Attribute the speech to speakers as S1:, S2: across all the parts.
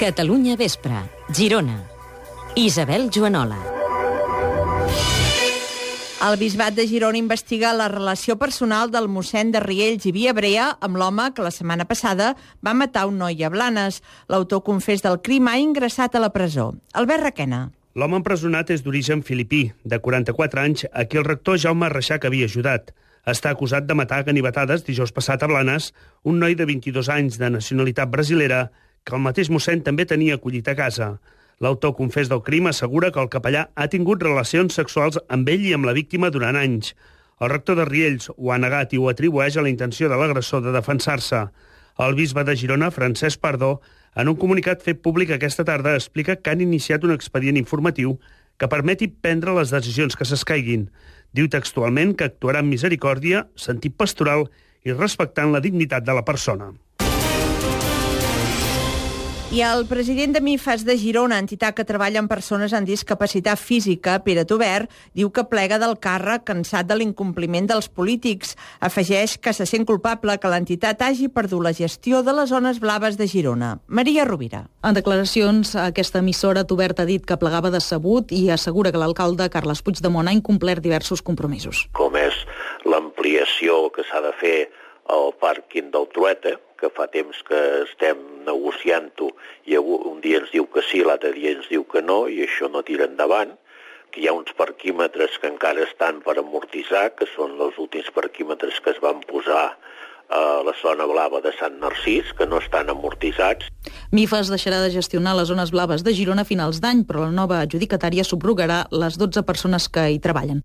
S1: Catalunya Vespre, Girona. Isabel Joanola.
S2: El Bisbat de Girona investiga la relació personal del mossèn de Riells i Viabrea amb l'home que la setmana passada va matar un noi a Blanes. L'autor confés del crim ha ingressat a la presó. Albert Requena.
S3: L'home empresonat és d'origen filipí, de 44 anys, a qui el rector Jaume Reixac havia ajudat. Està acusat de matar a ganivetades dijous passat a Blanes un noi de 22 anys de nacionalitat brasilera que el mateix mossèn també tenia acollit a casa. L'autor confés del crim assegura que el capellà ha tingut relacions sexuals amb ell i amb la víctima durant anys. El rector de Riells ho ha negat i ho atribueix a la intenció de l'agressor de defensar-se. El bisbe de Girona, Francesc Pardó, en un comunicat fet públic aquesta tarda, explica que han iniciat un expedient informatiu que permeti prendre les decisions que s'escaiguin. Diu textualment que actuarà amb misericòrdia, sentit pastoral i respectant la dignitat de la persona.
S2: I el president de MIFAS de Girona, entitat que treballa amb persones amb discapacitat física, Pere Tobert, diu que plega del càrrec cansat de l'incompliment dels polítics. Afegeix que se sent culpable que l'entitat hagi perdut la gestió de les zones blaves de Girona. Maria Rovira.
S4: En declaracions a aquesta emissora, Tobert ha dit que plegava decebut i assegura que l'alcalde Carles Puigdemont ha incomplert diversos compromisos.
S5: Com és l'ampliació que s'ha de fer al pàrquing del Trueta, que fa temps que estem negociant-ho i un dia ens diu que sí, l'altre dia ens diu que no, i això no tira endavant, que hi ha uns parquímetres que encara estan per amortitzar, que són els últims parquímetres que es van posar a la zona blava de Sant Narcís, que no estan amortitzats.
S4: MIFAS deixarà de gestionar les zones blaves de Girona a finals d'any, però la nova adjudicatària subrogarà les 12 persones que hi treballen.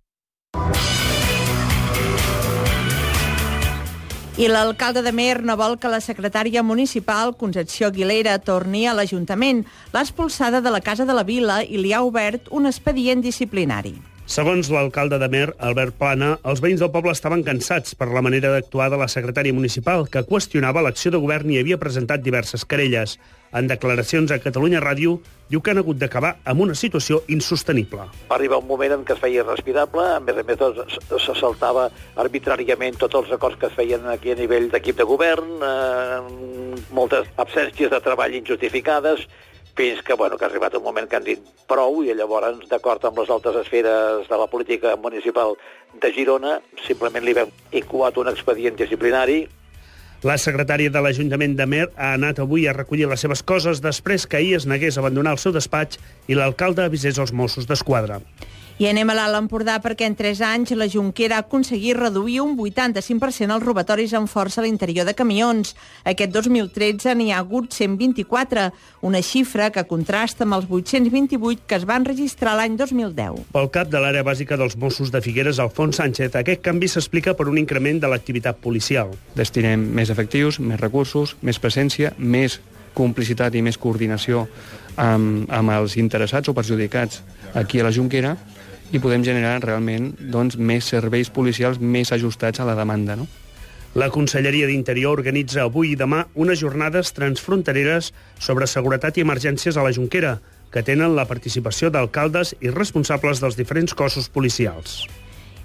S2: I l'alcalde d'Amer no vol que la secretària municipal, Concepció Aguilera, torni a l'Ajuntament. L'ha expulsada de la Casa de la Vila i li ha obert un expedient disciplinari.
S3: Segons l'alcalde d'Amer, Albert Plana, els veïns del poble estaven cansats per la manera d'actuar de la secretària municipal, que qüestionava l'acció de govern i havia presentat diverses querelles. En declaracions a Catalunya Ràdio, diu que han hagut d'acabar amb una situació insostenible.
S6: Va arribar un moment en què es feia irrespirable, a més se saltava arbitràriament tots els acords que es feien aquí a nivell d'equip de govern, moltes absències de treball injustificades, fins que, que ha arribat un moment que han dit prou i llavors, d'acord amb les altres esferes de la política municipal de Girona, simplement li vam incoat un expedient disciplinari.
S3: La secretària de l'Ajuntament d'Amer ha anat avui a recollir les seves coses després que ahir es negués a abandonar el seu despatx i l'alcalde avisés els Mossos d'Esquadra.
S2: I anem a l'Alt Empordà perquè en 3 anys la Jonquera ha aconseguit reduir un 85% els robatoris amb força a l'interior de camions. Aquest 2013 n'hi ha hagut 124, una xifra que contrasta amb els 828 que es van registrar l'any 2010.
S3: Pel cap de l'àrea bàsica dels Mossos de Figueres, Alfons Sánchez, aquest canvi s'explica per un increment de l'activitat policial.
S7: Destinem més efectius, més recursos, més presència, més complicitat i més coordinació amb els interessats o perjudicats aquí a la Jonquera, i podem generar realment més serveis policials més ajustats a la demanda. No?
S3: La Conselleria d'Interior organitza avui i demà unes jornades transfrontereres sobre seguretat i emergències a la Jonquera, que tenen la participació d'alcaldes i responsables dels diferents cossos policials.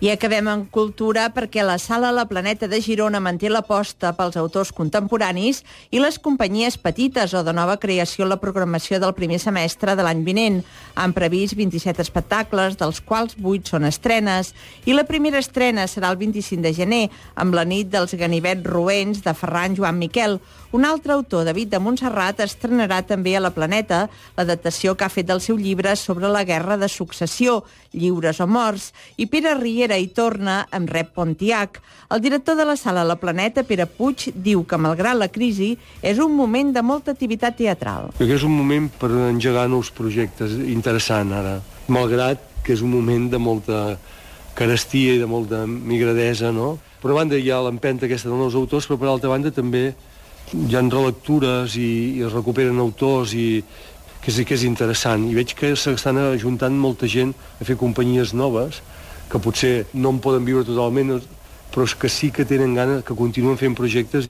S2: I acabem en cultura perquè la Sala La Planeta de Girona manté l'aposta pels autors contemporanis i les companyies petites o de nova creació en la programació del primer semestre de l'any vinent. Han previst 27 espectacles, dels quals 8 són estrenes, i la primera estrena serà el 25 de gener, amb la nit dels ganivets roents de Ferran Joan Miquel. Un altre autor, David de Montserrat, estrenarà també a La Planeta l'adaptació que ha fet del seu llibre sobre la Guerra de Successió, Lliures o Morts, i Pere Riera hi torna amb Rep Pontiac. El director de la Sala La Planeta, Pere Puig, diu que, malgrat la crisi, és un moment de molta activitat teatral.
S8: Crec que és un moment per engegar nous projectes, interessant ara, malgrat que és un moment de molta carestia i de molta migradesa, no? Per una banda hi ha l'empenta aquesta dels nous autors, però per altra banda també hi ha relectures i es recuperen autors i que sí que és interessant. I veig que s'estan ajuntant molta gent a fer companyies noves que potser no en poden viure totalment, però que sí que tenen ganes, que continuen fent projectes.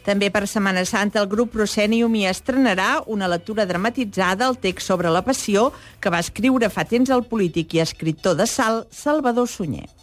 S2: També per Setmana Santa el grup Proscenium hi estrenarà una lectura dramatitzada al text sobre la passió que va escriure fa temps el polític i escriptor de Salt, Salvador Sunyer.